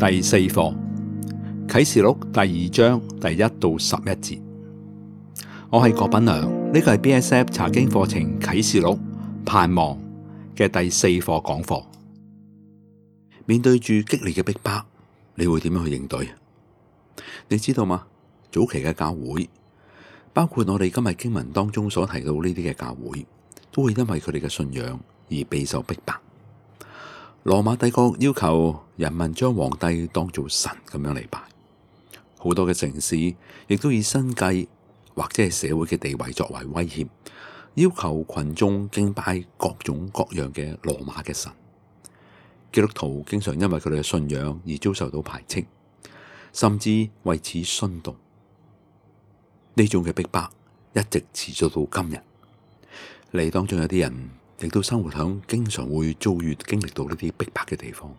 第四課啟示錄第2章第1到11節。我係郭品良，呢個係 BSF 查經課程啟示錄盼望嘅第4課講課。面對住激烈嘅逼迫，你會點樣去應對？你知道嗎？早期嘅教會，包括我哋今日經文當中所提到呢啲嘅教會，都會因為佢哋嘅信仰而備受逼迫。羅馬帝國要求人民將皇帝當做神咁樣嚟拜，好多嘅城市亦都以生計或者係社會嘅地位作為威脅，要求群眾敬拜各種各樣嘅羅馬嘅神。基督徒經常因為佢哋嘅信仰而遭受到排斥，甚至為此殉道。呢種嘅逼迫一直持續到今日。你當中有啲人亦都生活響經常會遭遇經歷到呢啲逼迫嘅地方。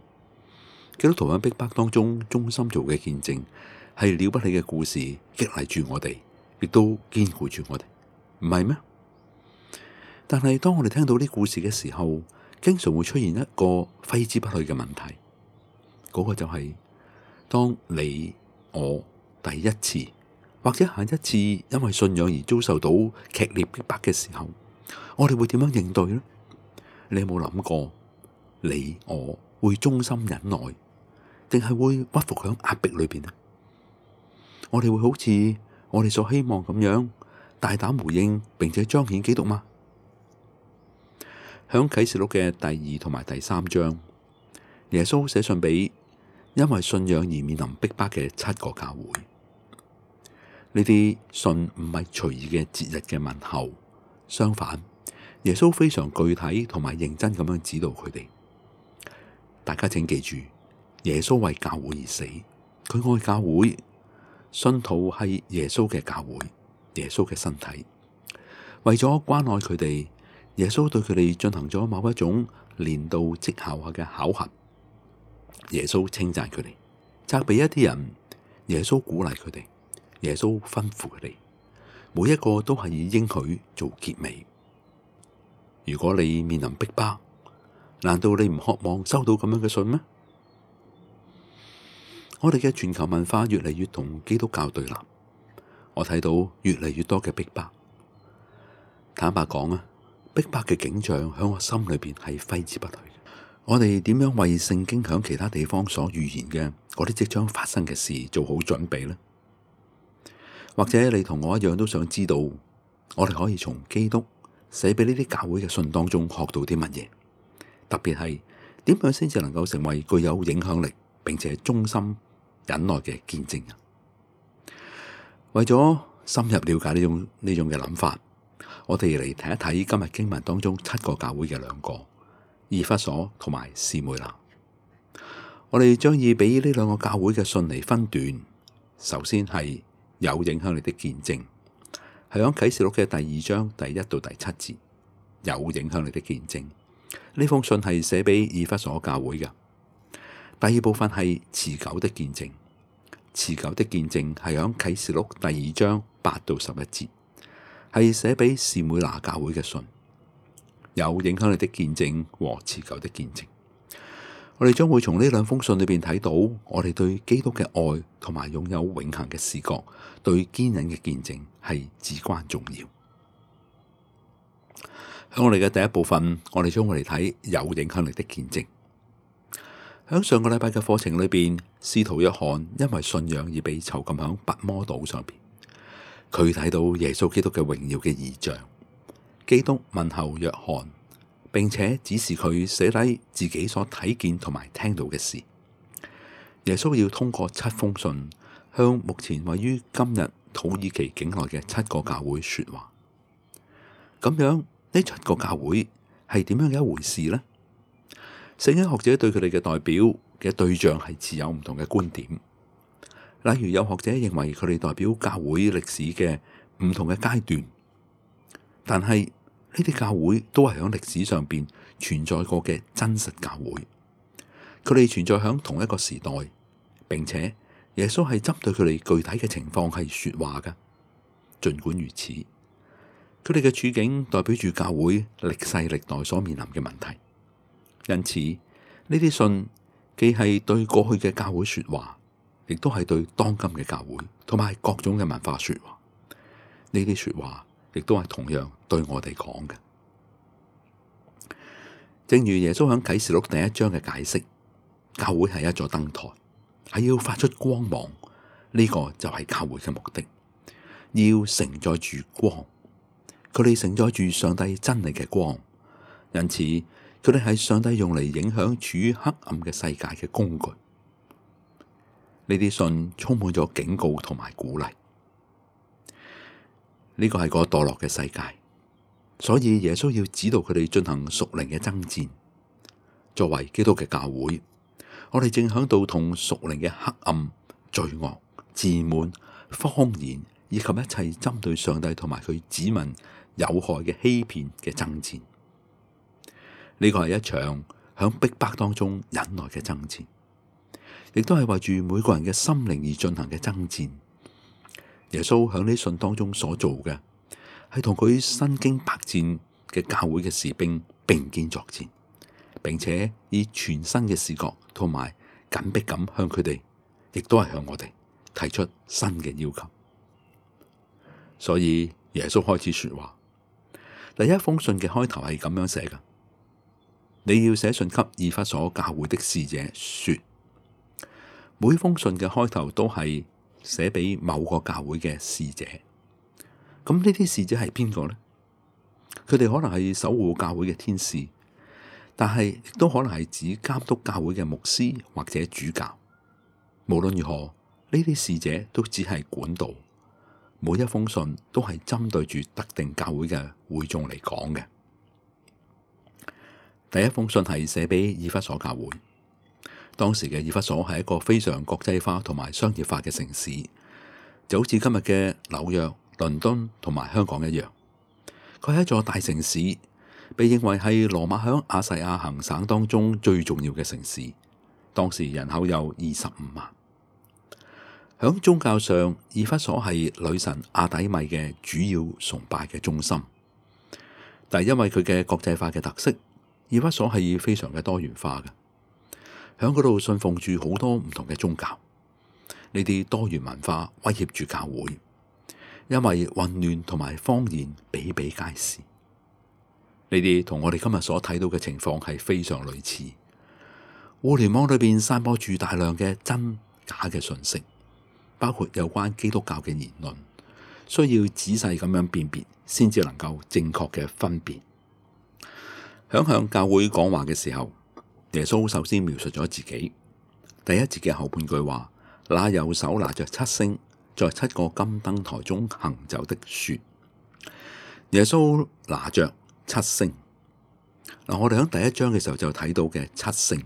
基督徒喺逼迫當中忠心做嘅見證，係了不起嘅故事，激勵住我哋，亦都堅固住我哋，唔係咩？但係當我哋聽到呢故事嘅時候，經常會出現一個揮之不去嘅問題，嗰個就係當你我第一次或者下一次因為信仰而遭受到劇烈逼迫嘅時候，我哋會點樣應對呢？你有冇諗過，你我會忠心忍耐，定係會屈服響壓迫裏邊呢？我哋會好似我哋所希望咁樣大膽回應，並且彰顯基督嗎？響啟示錄嘅第2同埋第3章，耶穌寫信俾因為信仰而面臨逼迫嘅7個教會。呢啲信唔係隨意嘅節日嘅問候，相反，耶穌非常具體同埋認真咁樣指導佢哋。大家請記住，耶穌為教會而死，佢愛教會，信徒係耶穌嘅教會，耶穌嘅身體。為咗關愛佢哋，耶穌對佢哋進行咗某一種年度績效化嘅考核。耶穌稱讚佢哋，責備一啲人，耶穌鼓勵佢哋，耶穌吩咐佢哋，每一個都係以應許做結尾。如果你面臨逼迫，難道你唔渴望收到咁樣嘅信咩？我哋嘅全球文化越嚟越同基督教對立，我睇到越嚟越多嘅逼迫。坦白講啊，逼迫嘅景象喺我心裏邊係揮之不去。我哋點樣為聖經響其他地方所預言嘅嗰啲即將發生嘅事做好準備呢？或者你同我一樣都想知道，我哋可以從基督寫俾呢啲教會嘅信當中學到啲乜嘢？特別係點樣先至能夠成為具有影響力並且忠心忍耐嘅見證人？為咗深入了解呢種嘅諗法，我哋嚟睇一睇今日經文當中7個教會嘅2個，以弗所同埋士每拿。我哋將以俾呢2個教會嘅信嚟分段。首先係有影響力的見證，係響啟示錄嘅第2章第1到第7節。有影響力的見證，呢封信係寫俾以弗所教會嘅。第2部分係持久的見證，持久的見證係響啟示錄第2章8到11節，係寫俾士每拿教會嘅信。有影響力的見證和持久的見證，我哋將會從呢2封信裏邊睇到，我哋對基督嘅愛同埋擁有永恆嘅視覺，對堅忍嘅見證係至關重要。喺我哋嘅第1部分，我哋將會嚟睇有影響力的見證。喺上個禮拜嘅課程裏邊，使徒約翰因為信仰而被囚禁喺拔摩島上邊，佢睇到耶穌基督嘅榮耀嘅異象。基督問候約翰，並且指示佢寫低自己所睇見同埋聽到嘅事。耶穌要通過7封信，向目前位於今日土耳其境內嘅7個教會說話。咁樣呢7個教會係點樣嘅一回事呢？聖經學者對佢哋嘅代表嘅對象係持有唔同嘅觀點。例如有學者認為佢哋代表教會歷史嘅唔同嘅階段，但係呢啲教會都係喺歷史上邊存在過嘅真實教會。佢哋存在喺同一個時代，並且耶穌係針對佢哋具體嘅情況係說話嘅。盡管如此，佢哋嘅處境代表住教會歷世歷代所面臨嘅問題，因此呢啲信既係對過去嘅教會說話，亦都係對當今嘅教會同埋各種嘅文化說話。呢啲說話亦都係同樣對我哋講嘅。正如耶穌喺啟示錄第1章嘅解釋，教會係一座燈台，係要發出光芒。呢個就係教會嘅目的，要承載住光。佢哋承載住上帝真理嘅光，因此佢哋係上帝用嚟影響處於黑暗嘅世界嘅工具。呢啲信充滿咗警告同埋鼓勵。呢個係個墮落嘅世界，所以耶穌要指導佢哋進行屬靈嘅爭戰。作為基督嘅教會，我哋正響度同屬靈嘅黑暗、罪惡、自滿、謊言以及一切針對上帝同埋佢子民有害嘅欺騙嘅爭戰。呢個係一場響逼迫當中忍耐嘅爭戰，亦都係為住每個人嘅心靈而進行嘅爭戰。耶穌響呢信當中所做嘅，係同佢身經百戰嘅教會嘅士兵並肩作戰，並且以全新嘅視覺同埋緊迫感向佢哋，亦都係向我哋提出新嘅要求。所以耶穌開始說話，第一封信嘅開頭係咁樣寫嘅：你要寫信給以弗所教會的使者說。每封信嘅開頭都係寫俾某個教會嘅使者。咁呢啲使者係邊個呢？佢哋可能係守護教會嘅天使，但係亦都可能係指監督教會嘅牧師或者主教。無論如何，呢啲使者都只係管道。每一封信都係針對住特定教會嘅會眾嚟講嘅。第一封信係寫俾以弗所教會。當時嘅以弗所係一個非常國際化同埋商業化嘅城市，就好似今日嘅紐約、倫敦同埋香港一樣。佢係一座大城市，被認為係羅馬響亞細亞行省當中最重要嘅城市。當時人口有25萬。響宗教上，以弗所係女神阿底米嘅主要崇拜嘅中心。但係因為佢嘅國際化嘅特色，以弗所係非常嘅多元化嘅。響嗰度信奉住好多唔同嘅宗教，呢啲多元文化威脅住教會，因為混亂同埋謊言比比皆是。呢啲同我哋今日所睇到嘅情況係非常類似。互聯網裏邊散播住大量嘅真假嘅信息，包括有關基督教嘅言論，需要仔細咁樣辨別，先至能夠正確嘅分辨。響向教會講話嘅時候，耶穌首先描述咗自己。第一節嘅後半句話，那右手拿着7星，在7個金燈台中行走的說。耶穌拿着7星。我哋喺第1章嘅時候就睇到嘅7星，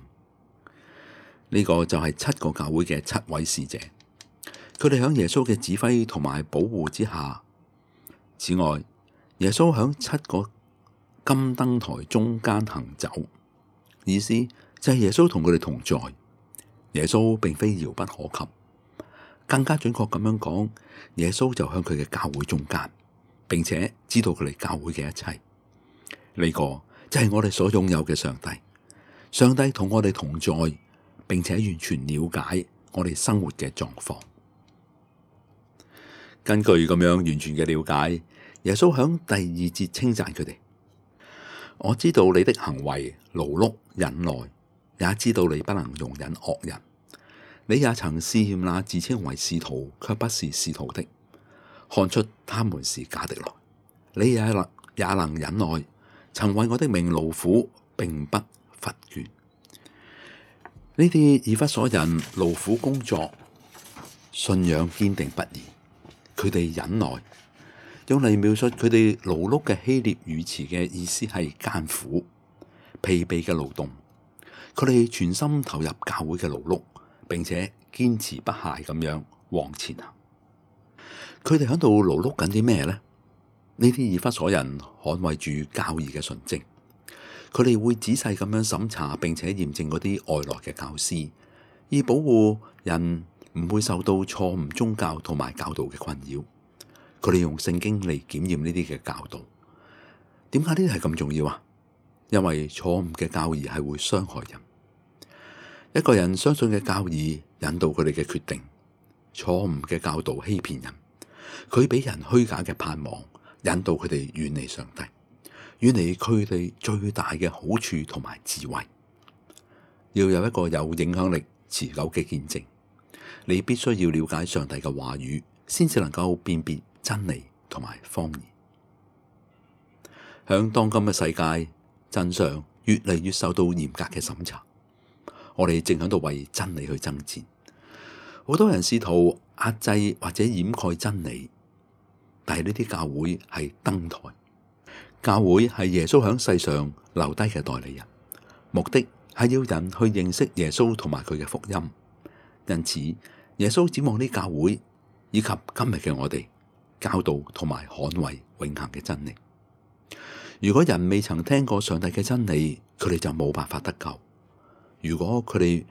呢個就係7個教會嘅7位使者，佢哋喺耶穌嘅指揮同埋保護之下。此外，耶穌喺7個金燈台中間行走，意思就係耶穌同佢哋同在。耶穌並非遙不可及，更加準確咁樣講，耶穌就喺佢嘅教會中間，並且知道佢哋教會嘅一切。呢個就係我哋所擁有嘅上帝。上帝同我哋同在，並且完全了解我哋生活嘅狀況。根據咁樣完全嘅了解，耶穌喺第2節稱讚佢哋。我知道你的行為勞碌忍耐，也知道你不能容忍惡人。你也曾試驗那自稱為使徒卻不是使徒的，看出他們是假的來。你也能忍耐，曾為我的名勞苦，並不乏倦。呢啲以弗所人勞苦工作，信仰堅定不移。佢哋忍耐，用嚟描述佢哋勞碌嘅希臘語詞嘅意思係艱苦、疲憊嘅勞動。佢哋全心投入教會嘅勞碌，並且堅持不懈咁樣往前行。佢哋喺度勞碌緊啲咩呢？呢啲以弗所人捍衛住教義嘅純正，佢哋會仔細咁樣審查並且驗證嗰啲外來嘅教師，以保護人唔會受到錯誤宗教同埋教導嘅困擾。佢哋用聖經嚟檢驗呢啲嘅教導。點解呢啲係咁重要啊？因為錯誤嘅教義係會傷害人。一個人相信嘅教義引導佢哋嘅決定，錯誤嘅教導欺騙人，佢俾人虛假嘅盼望，引導佢哋遠離上帝，遠離佢哋最大嘅好處同埋智慧。要有一個有影響力、持久嘅見證，你必須要了解上帝嘅話語，先至能夠辨別真理同埋謊言。響當今嘅世界，真相越嚟越受到嚴格嘅審查，我哋正喺度為真理去爭戰。好多人試圖壓制或者掩蓋真理，但係呢啲教會係燈台，教會係耶穌響世上留低嘅代理人，目的係要人去認識耶穌同埋佢嘅福音。因此，耶穌指望呢教會以及今日嘅我哋，教導同埋捍衛永恆嘅真理。如果人未曾聽過上帝嘅真理，佢哋就冇辦法得救。如果佢哋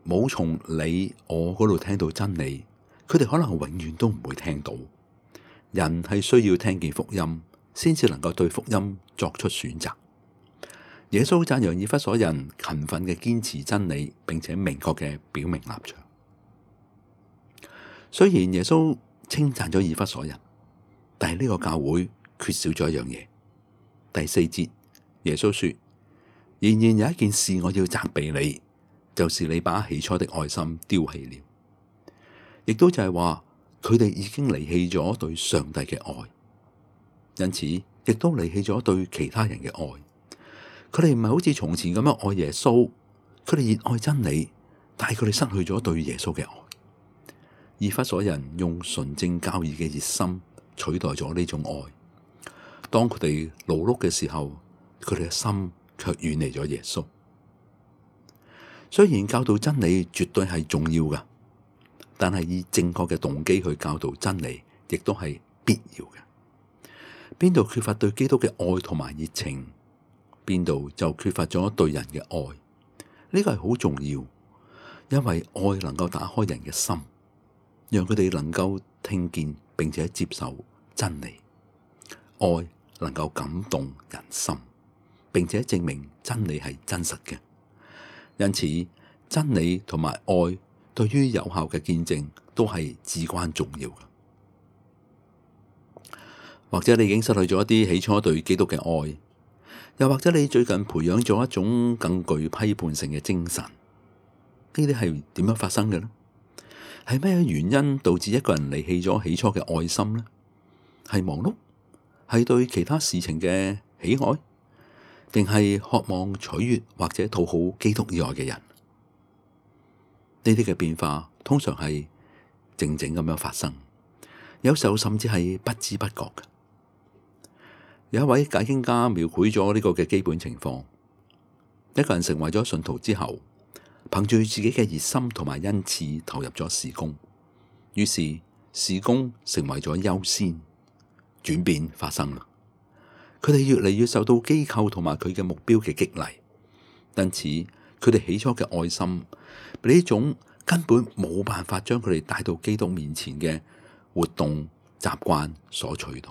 冇從你我嗰度聽到真理，佢哋可能永遠都唔會聽到。人係需要聽見福音，先至能夠對福音作出選擇。耶穌讚揚以弗所人勤奮嘅堅持真理，並且明確嘅表明立場。雖然耶穌稱讚咗以弗所人，但係呢個教會缺少咗一樣嘢。第4節，耶穌說：然而有一件事我要責備你，就是你把起初的愛心丟棄了。亦都就係話，佢哋已經離棄咗對上帝嘅愛，因此亦都離棄咗對其他人嘅愛。佢哋唔係好似從前咁樣愛耶穌，佢哋熱愛真理，但係佢哋失去咗對耶穌嘅愛。以弗所人用純正教義嘅熱心取代咗呢種愛。當佢哋勞碌嘅時候，佢哋嘅心卻遠離咗耶穌。雖然教導真理絕對係重要噶，但係以正確嘅動機去教導真理，亦都係必要嘅。邊度缺乏對基督嘅愛同埋熱情，邊度就缺乏咗對人嘅愛。呢個係好重要，因為愛能夠打開人嘅心，讓佢哋能夠聽見並且接受真理。愛能夠感動人心，並且證明真理係真實嘅。因此，真理同埋愛對於有效嘅見證都係至關重要嘅。或者你已經失去咗一啲起初對基督嘅愛，又或者你最近培養咗一種更具批判性嘅精神，呢啲係點樣發生嘅呢？係咩原因導致一個人離棄咗起初嘅愛心呢？係忙碌？係對其他事情嘅喜愛，定係渴望取悅或者討好基督以外嘅人？呢啲嘅變化通常係靜靜咁樣發生，有時候甚至係不知不覺嘅。有一位解經家描繪咗呢個嘅基本情況：一個人成為咗信徒之後，憑住自己嘅熱心同埋恩賜投入咗事工，於是事工成為咗優先。轉變發生啦，佢哋越嚟越受到機構同埋佢嘅目標嘅激勵，因此佢哋起初嘅愛心被呢種根本冇辦法將佢哋帶到基督面前嘅活動習慣所取代。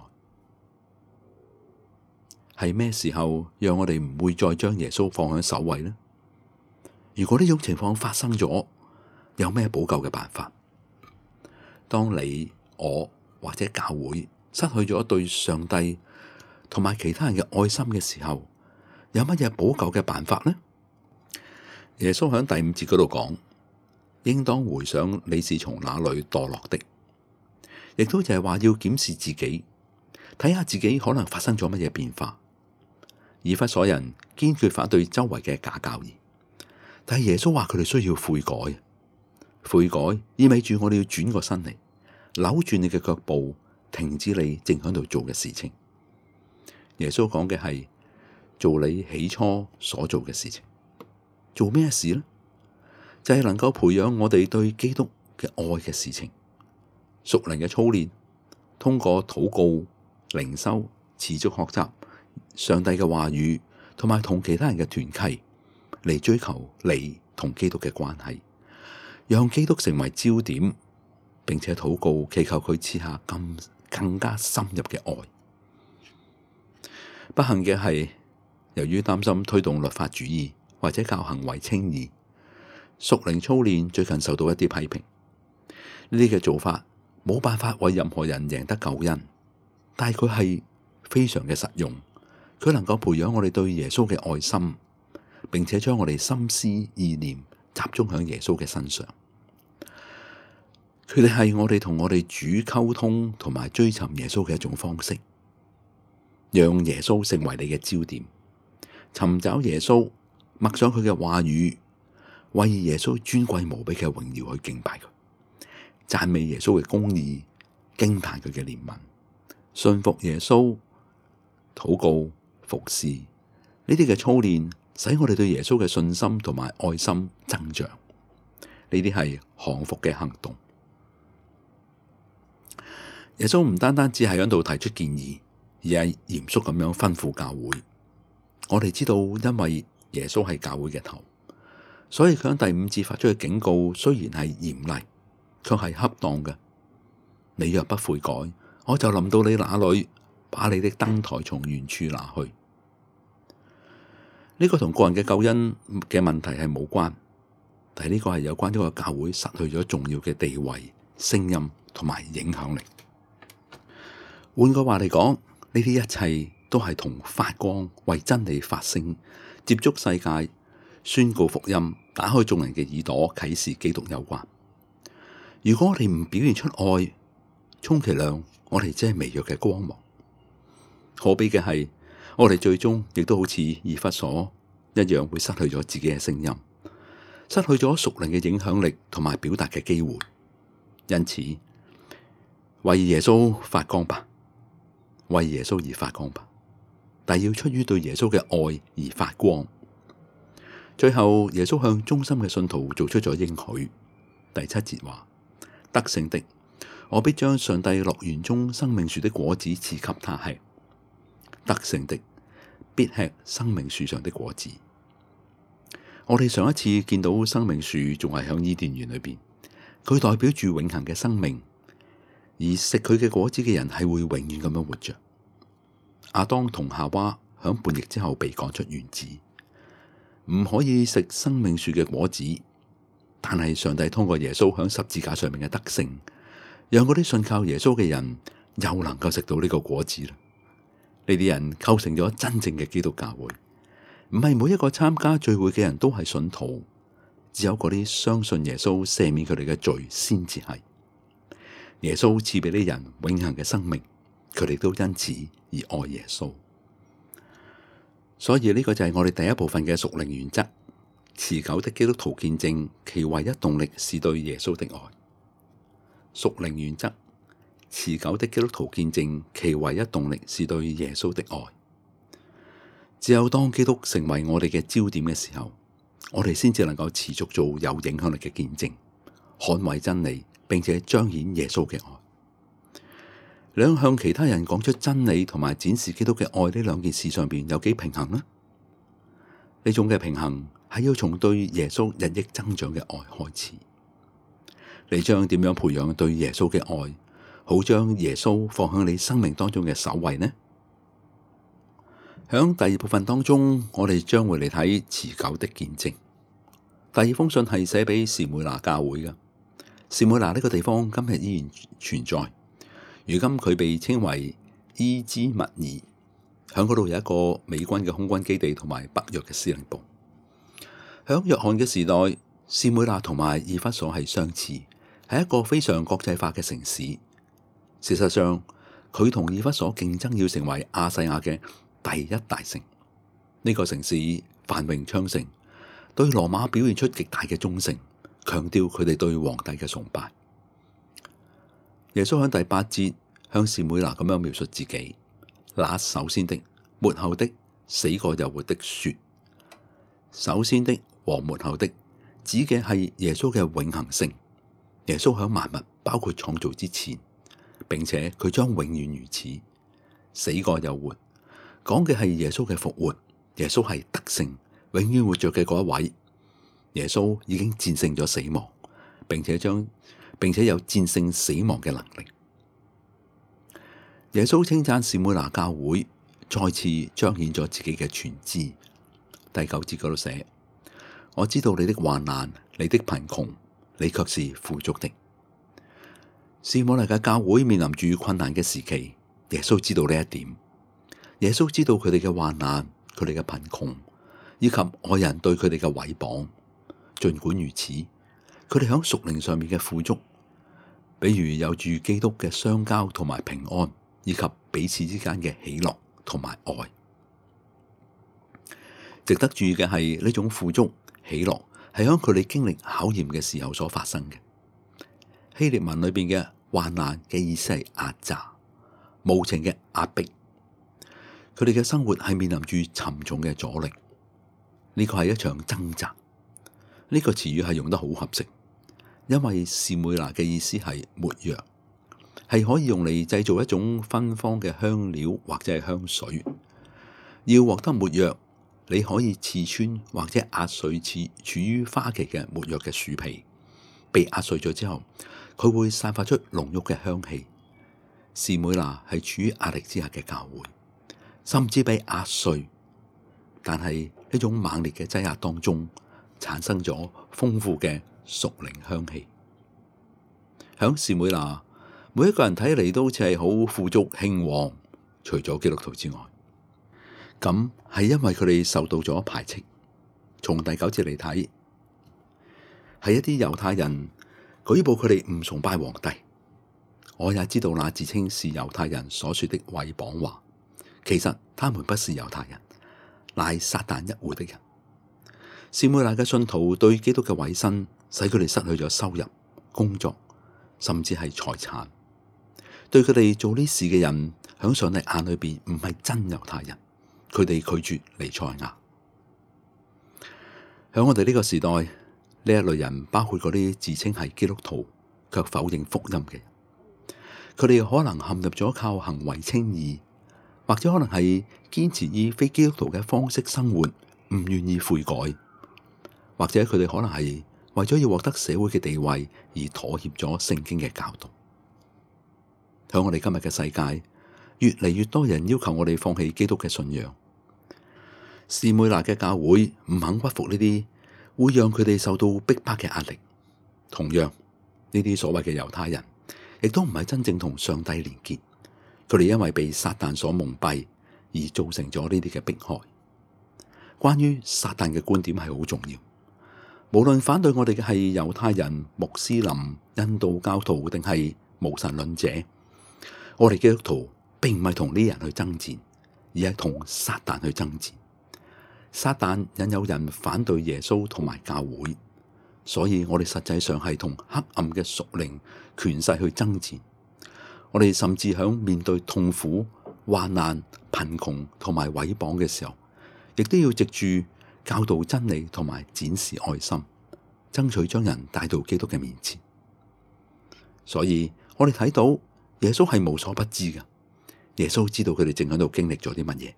係咩時候讓我哋唔會再將耶穌放喺首位呢？如果呢種情況發生咗，有咩補救嘅辦法？當你我或者教會失去咗對上帝同埋其他人嘅愛心嘅時候，有乜嘢補救嘅辦法呢？耶穌喺第5節嗰度講，應當回想你是從哪裏墮落的，亦都就係話要檢視自己，睇下自己可能發生咗乜嘢變化。以弗所人堅決反對周圍嘅假教義，但係耶穌話佢哋需要悔改。悔改意味住我哋要轉個身嚟，扭轉你嘅腳步，停止你正喺度做嘅事情。耶穌講嘅係做你起初所做嘅事情。做咩事呢？就係能夠培養我哋對基督嘅愛嘅事情，屬靈嘅操練，通過禱告、靈修、持續學習上帝嘅話語，同埋同其他人嘅團契嚟追求你同基督嘅關係，讓基督成為焦點，並且禱告祈求佢賜下更加深入嘅愛。不幸嘅係，由於擔心推動律法主義或者教行為稱義，屬靈操練最近受到一啲批評，呢啲嘅做法冇辦法為任何人贏得救恩，但係佢係非常嘅實用，佢能夠培養我哋對耶穌嘅愛心，並且將我哋心思意念集中喺耶穌嘅身上。佢哋係我哋同我哋主溝通同埋追尋耶穌嘅一種方式，讓耶穌成為你嘅焦點，尋找耶穌，默想佢嘅話語，為耶穌尊貴無比嘅榮耀去敬拜佢，讚美耶穌嘅公義，驚嘆佢嘅憐憫，信服耶穌，禱告，服侍，呢啲嘅操練使我哋對耶穌嘅信心同埋愛心增長。呢啲係降服嘅行動。耶穌唔單單只係喺度提出建議，而係嚴肅咁樣吩咐教會。我哋知道，因為耶穌係教會嘅頭，所以佢喺第5節發出嘅警告，雖然係嚴厲，卻係恰當嘅。你若不悔改，我就臨到你那裏，把你的燈臺從原處拿去。呢個同個人嘅救恩嘅問題係冇關，但係呢個係有關呢個教會失去咗重要嘅地位、聲音同埋影響力。換句話嚟講，呢啲一切都係同發光、為真理發聲、接觸世界、宣告福音、打開眾人嘅耳朵、啟示基督有關。如果我哋唔表現出愛，充其量我哋只係微弱嘅光芒。可悲嘅係，我哋最終亦都好似以弗所一樣，會失去咗自己嘅聲音，失去咗屬靈嘅影響力同埋表達嘅機會。因此，為耶穌發光吧，為耶穌而發光吧，但要出於對耶穌嘅愛而發光。最後，耶穌向忠心嘅信徒做出咗應許。第7節話：得勝的，我必將上帝樂園中生命樹的果子賜給他吃。得勝的必吃生命樹上的果子。我哋上一次見到生命樹仲係響伊甸園裏邊，佢代表住永恆嘅生命，而食佢嘅果子嘅人係會永遠咁樣活着。亞當同夏娃響叛逆之後被趕出園子，唔可以食生命樹嘅果子，但係上帝通過耶穌響十字架上面嘅得勝，讓嗰啲信靠耶穌嘅人又能夠食到呢個果子啦。呢啲人構成咗真正嘅基督教會，唔係每一個參加聚會嘅人都係信徒，只有嗰啲相信耶穌赦免佢哋嘅罪先至係。耶穌賜俾呢人永恆嘅生命，佢哋都因此而愛耶穌。所以呢個就係我哋第一部分嘅屬靈原則：持久的基督徒見證，其唯一動力是對耶穌的愛。屬靈原則：持久的基督徒見證，其唯一動力是對耶穌的愛。只有當基督成為我哋嘅焦點嘅時候，我哋先至能夠持續做有影響力嘅見證，捍衛真理，並且彰顯耶穌嘅愛。兩向其他人講出真理同埋展示基督嘅愛呢兩件事上邊有幾平衡呢？呢種嘅平衡係要從對耶穌日益增長嘅愛開始。你將點樣培養對耶穌嘅愛，好將耶穌放喺你生命當中嘅首位呢？響第二部分當中，我哋將會嚟睇持久的見證。第二封信係寫俾士每拿教會嘅。士每拿呢個地方今日依然存在，如今佢被稱為伊茲密爾，響嗰度有一個美軍嘅空軍基地同埋北約嘅司令部。響約翰嘅時代，士每拿同埋以弗所係相似，係一個非常國際化嘅城市。事實上，佢同以弗所競爭要成為亞細亞嘅第一大城。呢個城市繁榮昌盛，對羅馬表現出極大嘅忠誠，強調佢哋對皇帝嘅崇拜。耶穌喺第8節向士每拿咁樣描述自己：那首先的、末後的、死過又活的說。首先的和末後的指嘅係耶穌嘅永恆性。耶穌喺萬物包括創造之前，並且佢將永遠如此。死過又活，講嘅係耶穌嘅復活。耶穌係得勝、永遠活着嘅嗰一位。耶穌已經戰勝咗死亡，並且有戰勝死亡嘅能力。耶穌稱讚士每拿教會，再次彰顯咗自己嘅全知。第9節嗰度寫：我知道你的患難，你的貧窮，你卻是富足的。士每拿嘅教會面臨住困難嘅時期，耶穌知道呢一點。耶穌知道佢哋嘅患難，佢哋嘅貧窮，以及外人對佢哋嘅毀謗。儘管如此，佢哋喺屬靈上面嘅富足，比如有住基督嘅相交同埋平安，以及彼此之間嘅喜樂同埋愛。值得注意嘅係呢種富足喜樂係喺佢哋經歷考驗嘅時候所發生嘅。希臘文裏邊嘅患難嘅意思係壓榨、無情嘅壓迫。佢哋嘅生活係面臨住沉重嘅阻力，呢個係一場掙扎。呢個詞語係用得好合適，因為士每拿嘅意思係沒藥，係可以用嚟製造一種芬芳嘅香料或者係香水。要獲得沒藥，你可以刺穿或者壓碎處於花期嘅沒藥嘅樹皮，被壓碎咗之後，佢會散發出濃郁嘅香氣。士每拿係處於壓力之下嘅教會，甚至被壓碎，但係呢種猛烈嘅擠壓當中，產生咗豐富嘅屬靈香氣。響士每拿，每一個人睇嚟都好似係好富足興旺，除咗基督徒之外。咁係因為佢哋受到咗排斥。從第9節嚟睇，係一啲猶太人舉報佢哋唔崇拜皇帝。我也知道那自稱是猶太人所說的毀謗話，其實他們不是猶太人，乃撒但一會的人。士每拿嘅信徒對基督嘅委身，使佢哋失去咗收入、工作，甚至係財產。對佢哋做呢事嘅人，響上帝眼裏邊唔係真猶太人，佢哋拒絕彌賽亞。響我哋呢個時代，呢一類人包括嗰啲自稱係基督徒卻否認福音嘅人。佢哋可能陷入咗靠行為稱義，或者可能係堅持以非基督徒嘅方式生活，唔願意悔改。或者佢哋可能係為咗要獲得社會嘅地位而妥協咗聖經嘅教導。喺我哋今日嘅世界，越嚟越多人要求我哋放棄基督嘅信仰。士每拿嘅教會唔肯屈服呢啲會讓佢哋受到逼迫嘅壓力。同樣，呢啲所謂嘅猶太人亦都唔係真正同上帝連結，佢哋因為被撒但所蒙蔽而造成咗呢啲嘅迫害。關於撒但嘅觀點係好重要。無論反對我哋嘅係猶太人、穆斯林、印度教徒定係無神論者，我哋基督徒並唔係同呢啲人去爭戰，而係同撒但去爭戰。撒但引誘人反對耶穌同埋教會，所以我哋實際上係同黑暗嘅屬靈權勢去爭戰。我哋甚至響面對痛苦、患難、貧窮同埋毀謗嘅時候，亦都要藉住教導真理同埋展示愛心，爭取將人帶到基督嘅面前。所以我哋睇到耶穌係無所不知嘅，耶穌知道佢哋正喺度經歷咗啲乜嘢，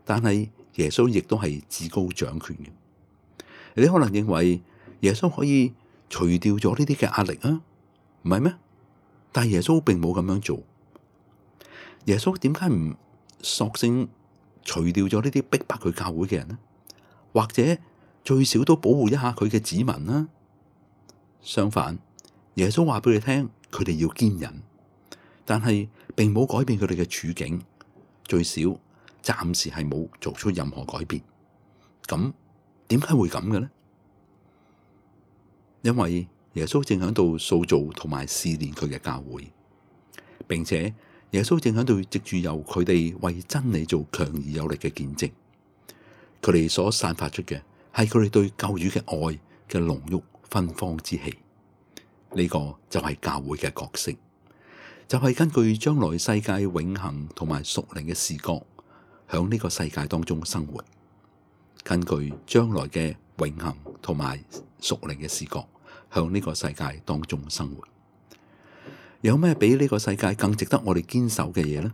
但係耶穌亦都係至高掌權嘅。你可能認為耶穌可以除掉咗呢啲嘅壓力啊，唔係咩？但係耶穌並冇咁樣做。耶穌點解唔索性除掉咗呢啲逼迫佢教會嘅人呢？或者最少都保護一下佢嘅子民啦。相反，耶穌話俾你聽，佢哋要堅忍，但係並冇改變佢哋嘅處境，最少暫時係冇做出任何改變。咁點解會咁嘅呢？因為耶穌正喺度塑造同埋試煉佢嘅教會，並且耶穌正喺度藉住由佢哋為真理做強而有力嘅見證。佢哋所散發出嘅係佢哋對救主嘅愛嘅濃郁芬芳之氣。呢個就係教會嘅角色，就係根據將來世界永恆同埋屬靈嘅視角，響呢個世界當中生活。根據將來嘅永恆同埋屬靈嘅視角，向呢個世界當中生活。有咩比呢個世界更值得我哋堅守嘅嘢呢？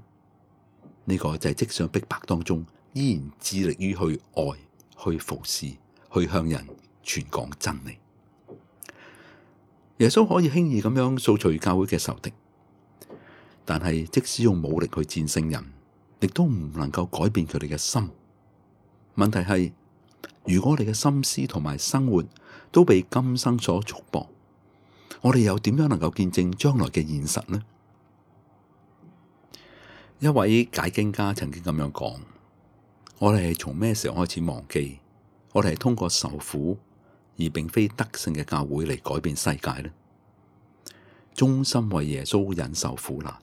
呢個就係即使逼迫當中，依然致力於去愛、去服侍、去向人傳講真理。耶穌可以輕易咁樣掃除教會嘅仇敵，但係即使用武力去戰勝人，亦都唔能夠改變佢哋嘅心。問題係如果我哋嘅心思同埋生活都被今生所束縛，我哋又點樣能夠見證將來嘅現實呢？一位解經家曾經咁樣講：我哋係從咩時候開始忘記，我哋係通過受苦而並非得勝嘅教會嚟改變世界呢？忠心為耶穌忍受苦難，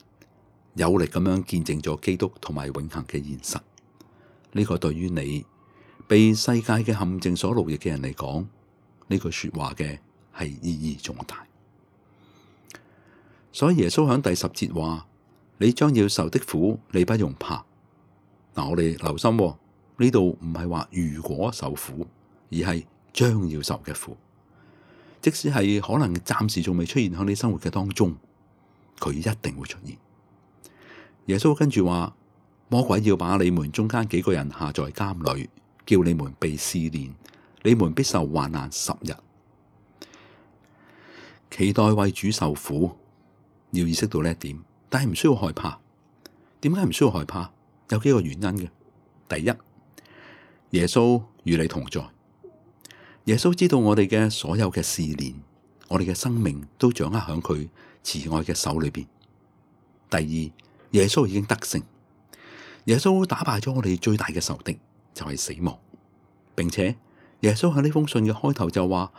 有力咁樣見證咗基督同埋永恆嘅現實。呢個對於你被世界嘅陷阱所奴役嘅人嚟講，呢句說話嘅係意義重大。所以耶穌喺第10節話：你將要受的苦，你不用怕。嗱，我哋留心呢度唔係話如果受苦，而係將要受嘅苦。即使係可能暫時仲未出現喺你生活嘅當中，佢一定會出現。耶穌跟住話：魔鬼要把你們中間幾個人下在監裏，叫你們被試煉，你們必受患難10日。期待為主受苦，要意識到呢一點，但係唔需要害怕。點解唔需要害怕？有幾個原因嘅。第一，耶穌與你同在。耶穌知道我哋嘅所有嘅試煉，我哋嘅生命都掌握喺佢慈愛嘅手裏邊。第二，耶穌已經得勝，耶穌打敗咗我哋最大嘅仇敵，就係死亡，並且耶穌喺呢封信嘅開頭就話，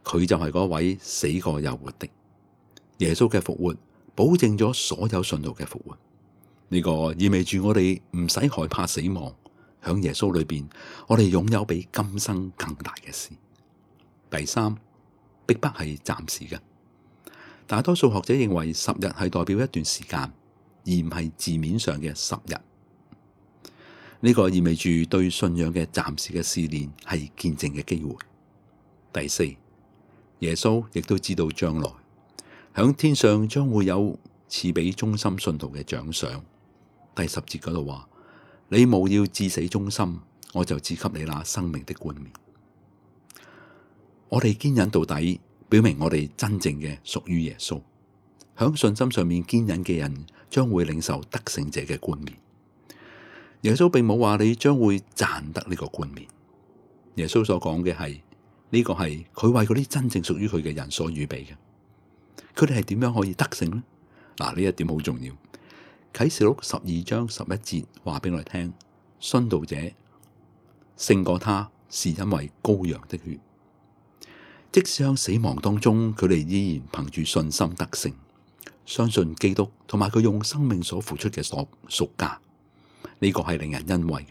佢就係嗰位死過又活的。耶穌嘅復活保證咗所有信徒嘅復活，呢個意味住我哋唔使害怕死亡。喺耶穌裏邊，我哋擁有比今生更大嘅事。第三，逼迫係暫時嘅。大多數學者認為10日係代表一段時間，而唔係字面上嘅10日。呢個意味住對信仰嘅暫時嘅試煉係見證嘅機會。第四，耶穌亦都知道將來響天上將會有賜俾忠心信徒嘅獎賞。第10節嗰度話：你務要至死忠心，我就賜給你那生命的冠冕。我哋堅忍到底，表明我哋真正嘅屬於耶穌。響信心上面堅忍嘅人，將會領受得勝者嘅冠冕。耶穌並冇話你將會賺得呢個冠冕。耶穌所講嘅係呢個係佢為嗰啲真正屬於佢嘅人所預備嘅。佢哋係點樣可以得勝呢？嗱，呢一點好重要。啟示錄12章11節話俾我哋聽，殉道者勝過他，是因為羔羊的血。即使喺死亡當中，佢哋依然憑住信心得勝，相信基督同埋佢用生命所付出嘅贖價。呢個係令人欣慰嘅。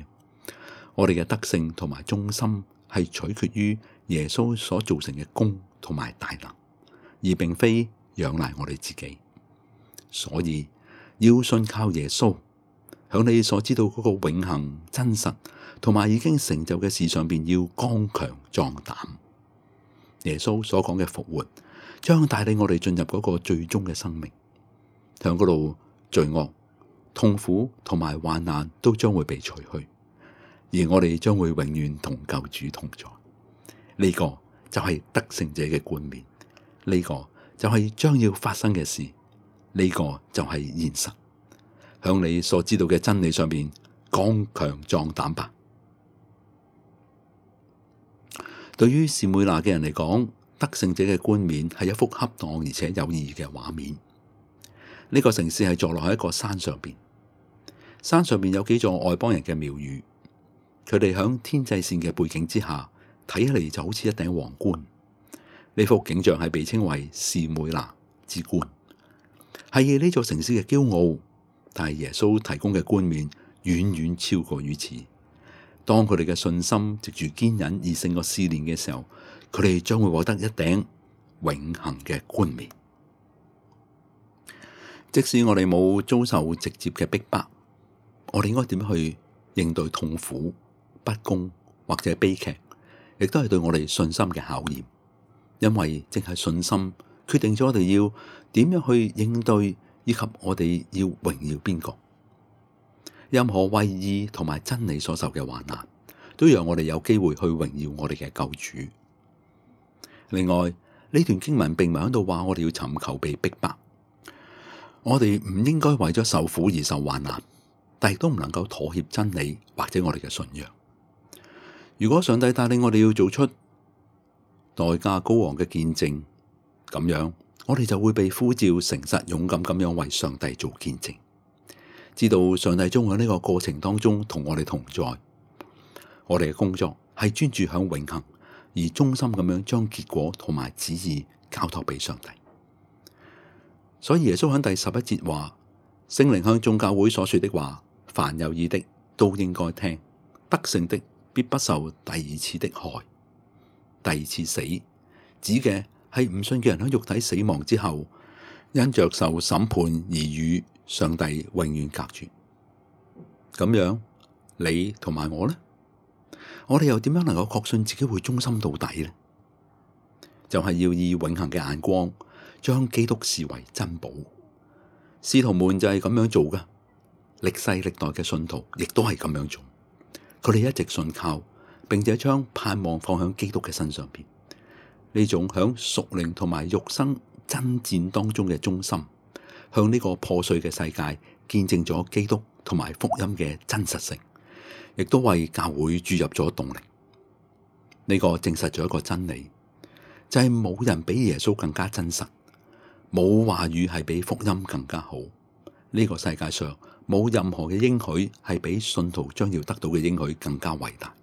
我哋嘅得勝同埋忠心係取決於耶穌所造成嘅功同埋大能，而並非仰賴我哋自己。所以要信靠耶穌，響你所知道嗰個永恆真實同埋已經成就嘅事上邊，要剛強壯膽。耶穌所講嘅復活，將帶領我哋進入嗰個最終嘅生命，響嗰度罪惡、痛苦同埋患難都將會被除去，而我哋將會永遠同救主同在。呢個就係得勝者嘅冠冕，呢個就係將要發生嘅事，呢個就係現實。向你所知道嘅真理上面剛強壯膽吧。對於士每拿嘅人嚟講，得勝者嘅冠冕係一幅恰當而且有意義嘅畫面。呢個城市係坐落喺一個山上邊，山上邊有幾座外邦人嘅廟宇，佢哋響天際線嘅背景之下，睇起嚟就好似一頂皇冠。呢幅景象係被稱為士每拿之冠，係呢座城市嘅驕傲。但係耶穌提供嘅冠冕遠遠超過於此。當佢哋嘅信心藉住堅忍而勝過試煉嘅時候，佢哋將會獲得一頂永恆嘅冠冕。即使我哋冇遭受直接嘅逼迫，我哋應該點樣去應對痛苦、不公或者悲劇，亦都係對我哋信心嘅考驗。因為正係信心決定咗我哋要點樣去應對，以及我哋要榮耀邊個。任何為義同埋真理所受嘅患難，都讓我哋有機會去榮耀我哋嘅救主。另外，呢段經文並唔係喺度話我哋要尋求被逼迫，我哋唔應該為咗受苦而受患難，但亦都唔能夠妥協真理或者我哋嘅信仰。如果上帝帶領我哋要做出代價高昂嘅見證，咁樣我哋就會被呼召誠實勇敢咁樣為上帝做見證，知道上帝將喺呢個過程當中同我哋同在。我哋嘅工作係專注響永恆，而忠心咁樣將結果同埋旨意交託俾上帝。所以耶穌喺第11節話：聖靈向眾教會所說的話，凡有耳的都應該聽，得勝的必不受第二次的害。第二次死指嘅係唔信嘅人喺肉體死亡之後，因着受審判而與上帝永遠隔絕。咁樣你同埋我呢？我哋又點樣能夠確信自己會忠心到底呢？就係要以永恆嘅眼光將基督視為珍寶。使徒們就係咁樣做噶，歷世歷代嘅信徒亦都係咁樣做。佢哋一直信靠，並且將盼望放喺基督嘅身上邊。呢種響屬靈同埋肉身爭戰當中嘅忠心，向呢個破碎嘅世界見證咗基督同埋福音嘅真實性，亦都為教會注入咗動力。呢個證實咗一個真理，就係冇人比耶穌更加真實，冇話語係比福音更加好。呢個世界上冇任何嘅應許係比信徒將要得到嘅應許更加偉大。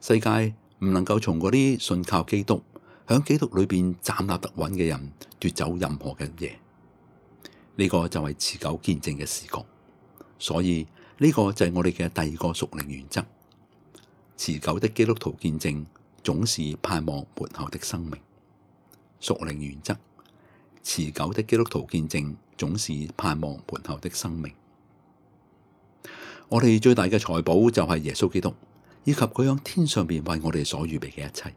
世界唔能夠從嗰啲信靠基督、響基督裏邊站立得穩嘅人奪走任何嘅嘢。呢個就係持久見證嘅視覺。所以呢個就係我哋嘅第二個屬靈原則。持久的基督徒見證總是盼望末後的生命。屬靈原則：持久的基督徒見證總是盼望末後的生命。我哋最大嘅財寶就係耶穌基督，以及佢喺天上邊為我哋所預備嘅一切。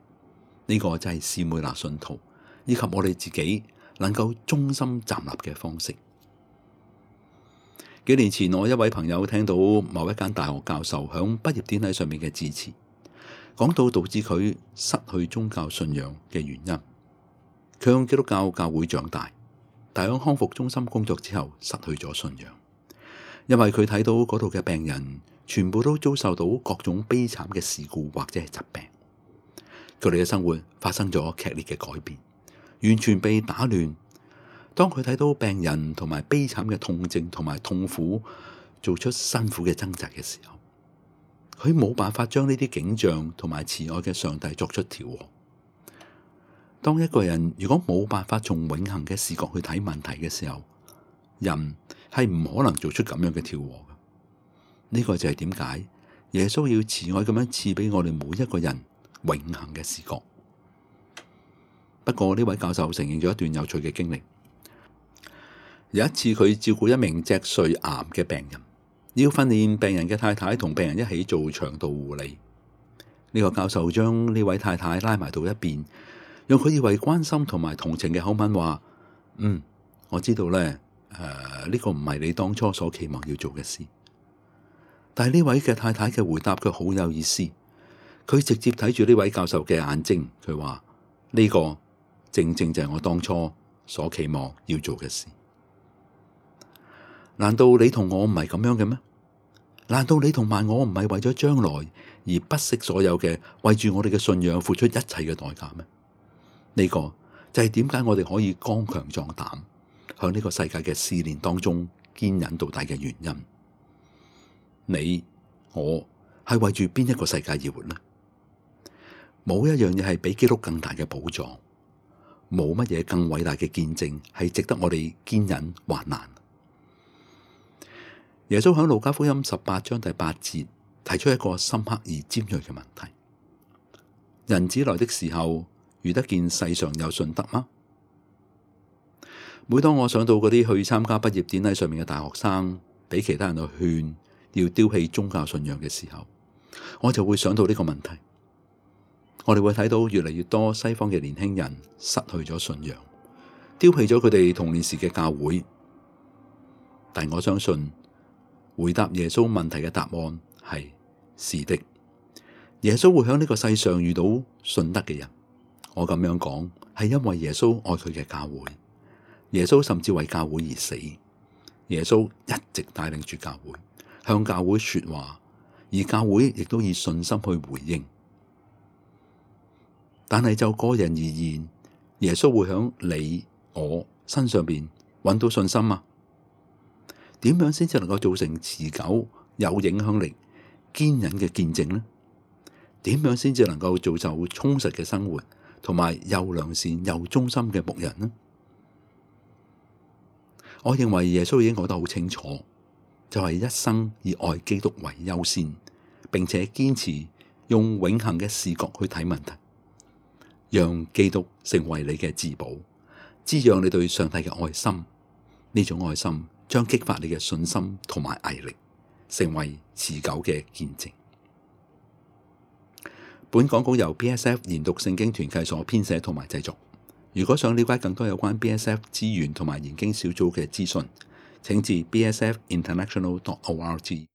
呢個就係士每拿信徒以及我哋自己能夠忠心站立嘅方式。幾年前，我一位朋友聽到某一間大學教授響畢業典禮上面嘅致辭，講到導致佢失去宗教信仰嘅原因。佢喺基督教教會長大，但喺康復中心工作之後失去咗信仰，因為佢睇到嗰度嘅病人全部都遭受到各種悲慘嘅事故或者係疾病，佢哋嘅生活發生咗劇烈嘅改變，完全被打亂。當佢睇到病人同埋悲慘嘅痛症同埋痛苦做出辛苦嘅掙扎嘅時候，佢冇辦法將呢啲景象同埋慈愛嘅上帝作出調和。當一個人如果冇辦法從永恆嘅視角去睇問題嘅時候，人係唔可能做出咁樣嘅調和嘅。呢個就係點解耶穌要慈愛咁樣賜俾我哋每一個人永恆嘅視角。不過呢位教授承認咗一段有趣嘅經歷。有一次佢照顧一名脊髓癌嘅病人，要訓練病人嘅太太同病人一起做腸道護理。呢個教授將呢位太太拉埋到一邊，用佢以為關心同埋同情嘅口吻話：我知道咧，呢個唔係你當初所期望要做嘅事。但係呢位嘅太太嘅回答卻好有意思，佢直接睇住呢位教授嘅眼睛，佢話：呢個正正就係我當初所期望要做嘅事。難道你同我唔係咁樣嘅咩？難道你同埋我唔係為咗將來而不惜所有嘅，為住我哋嘅信仰付出一切嘅代價咩？呢個就係點解我哋可以剛強壯膽，向呢個世界嘅試煉當中堅忍到底嘅原因。你我係為住邊一個世界而活呢？冇一樣嘢係比基督更大嘅寶藏，冇乜嘢更偉大嘅見證係值得我哋堅忍患難。耶穌喺路加福音18章第8節提出一個深刻而尖銳嘅問題：人子來的時候，遇得見世上有信德嗎？每當我想到嗰啲去參加畢業典禮上面嘅大學生，俾其他人去勸要丟棄宗教信仰嘅時候，我就會想到呢個問題。我哋會睇到越嚟越多西方嘅年輕人失去咗信仰，丟棄咗佢哋童年時嘅教會。但我相信回答耶穌問題嘅答案係是的。耶穌會喺呢個世上遇到信德嘅人。我咁樣講係因為耶穌愛佢嘅教會，耶穌甚至為教會而死。耶穌一直帶領住教會，向教會說話，而教會亦都以信心去回應。但係就個人而言，耶穌會響你我身上邊揾到信心啊？點樣先至能夠造成持久、有影響力、堅忍嘅見證呢？點樣先至能夠造就充實嘅生活，同埋又良善又忠心嘅牧人呢？我認為耶穌已經講得好清楚，就係一生以愛基督為優先，並且堅持用永恆嘅視角去睇問題，讓基督成為你嘅至寶，滋養你對上帝嘅愛心。呢種愛心將激發你嘅信心同埋毅力，成為持久嘅見證。本講稿由 BSF 研讀聖經團契所編寫同埋製作。如果想了解更多有關 BSF 資源同埋研經小組嘅資訊，請至 bsfinternational.org。